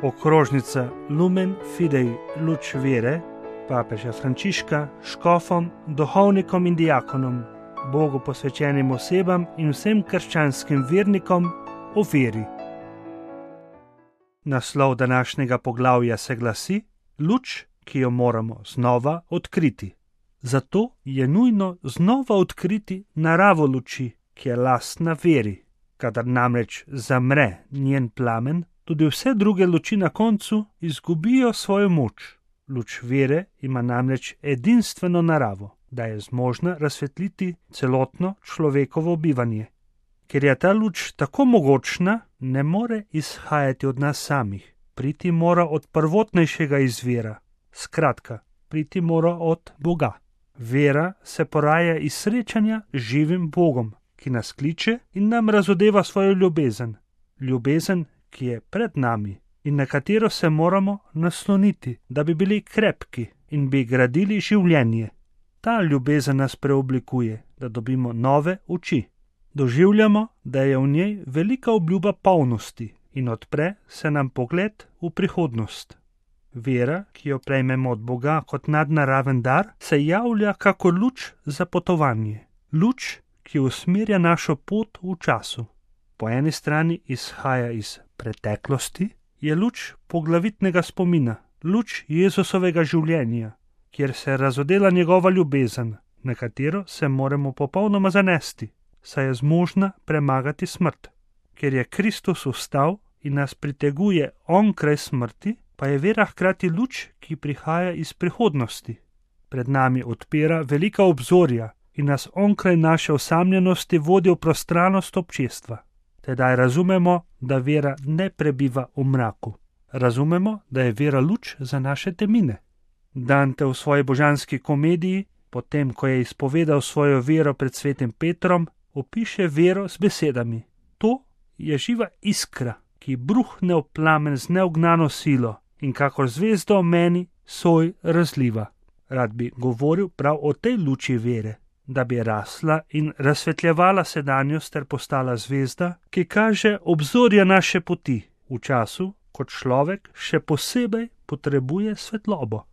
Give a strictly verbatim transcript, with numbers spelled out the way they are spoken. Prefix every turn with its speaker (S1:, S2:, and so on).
S1: okrožnica Lumen Fidei luč vere papeža Frančiška škofom, duhovnikom in diakonom, Bogu posvečenim osebam in vsem krščanskim vernikom o veri. Naslov današnjega poglavja se glasi: Luč, ki jo moramo znova odkriti. Zato je nujno znova odkriti naravo luči, ki je lastna veri. Kadar namreč zamre njen plamen, tudi vse druge luči na koncu izgubijo svojo moč. Luč vere ima namreč edinstveno naravo, da je zmožna razsvetliti celotno človekovo bivanje. Ker je ta luč tako mogočna, ne more izhajati od nas samih. Priti mora od prvotnejšega izvira. Skratka, priti mora od Boga. Vera se poraja iz srečanja z živim Bogom, ki nas kliče in nam razodeva svojo ljubezen. Ljubezen, ki je pred nami in na katero se moramo nasloniti, da bi bili krepki in bi gradili življenje. Ta ljubezen nas preoblikuje, da dobimo nove oči. Doživljamo, da je v njej velika obljuba polnosti in odpre se nam pogled v prihodnost. Vera, ki jo prejmemo od Boga kot nadnaraven dar, se javlja kakor luč za potovanje. Luč, ki usmerja našo pot v času. Po eni strani izhaja iz preteklosti, je luč poglavitnega spomina, luč Jezusovega življenja, kjer se razodela njegova ljubezen, na katero se moramo popolnoma zanesti, saj je zmožna premagati smrt. Ker je Kristus vstal in nas priteguje onkraj smrti, pa je vera hkrati luč, ki prihaja iz prihodnosti. Pred nami odpira velika obzorja in nas onkraj naše osamljenosti vodi v prostranost občestva. Tedaj razumemo, da vera ne prebiva v mraku. Razumemo, da je vera luč za naše temine. Dante v svoji božanski komediji, potem ko je izpovedal svojo vero pred svetim Petrom, opiše vero z besedami: To je živa iskra, ki bruhne v plamen z neugnano silo in kakor zvezda v meni soj razliva. Rad bi govoril prav o tej luči vere, da bi rasla in razsvetljevala sedanjost ter postala zvezda, ki kaže obzorja naše poti v času, ko človek še posebej potrebuje svetlobo.